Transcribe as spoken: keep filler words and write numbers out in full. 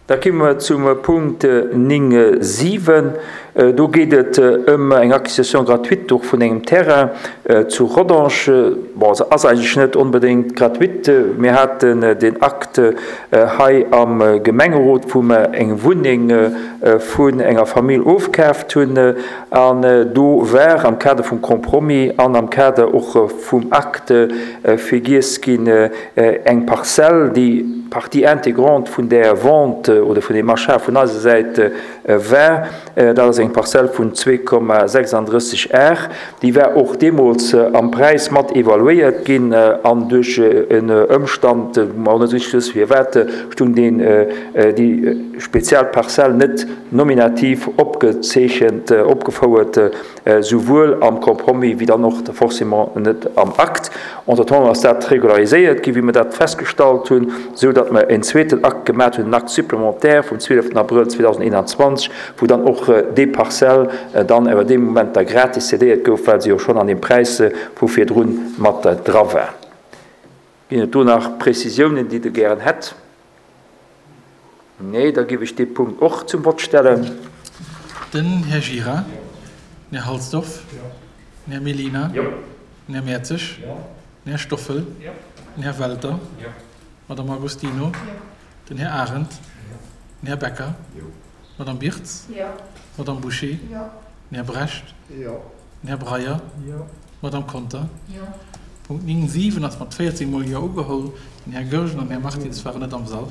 Da komme mer zum Punkt néng siwen. Do geet et ëm eng Acquisition gratuite och vun engem Terrain zu Rodange. Bon, se ass eigentlech net onbedéngt gratuite. Mir haten den Akt hei am Gemengerot, wou mer eng Wunneng vun enger Famill ofkaaft hunn. An do war am Kader vum Compromis an am Kader och vum Akt vergiess ginn, eng Parzell, déi Partie intégrante vun där Vente oder vun deem Achat vun eiser Säit war, dat ass eng Parzell vun zwee Komma sechsandrësseg Ar, déi war och deemools am Präis mat evaluéiert ginn an duerch en Ëmstand, wou mer och net richteg wësse firwat, stung deen, déi speziell Parzell net nominativ opgezeechent, opgefouert, souwuel am Compromis wéi dann och forcément net am Akt. Entretemps ass dat regulariséiert ginn, wéi mer dat festgestallt hunn, esou datt mer en zweeten Akt gemaat hunn, en Acte supplémentaire vum zwieleften Abrëll zweedausendeenanzwanzeg, wou dann och déi Parzell dann awer dee Moment da gratis cédéiert gouf, well se jo schonn an deem Präis vu virdrun mat dra war. Ginn et do nach Prezisiounen, déi Der gären hätt? Nee, da géif ech dee Punkt och zum Vott stellen. Den Här Gira. Den Här Halsdorf. Den Här Mellina. Den Här Mertzig. Den Här Stoffel. Den Här Welter. D'Madame Agostino. Den Här Arendt. Den Här Becker. D'Madame Birtz. D'Madame Bouché. Den Här Brecht. Den Här Breyer. D'Madame Conter. Punkt néng siwen ass mat véierzéng Mol Jo ugeholl. Den Här Goergen an den Här Martins waren net am Sall.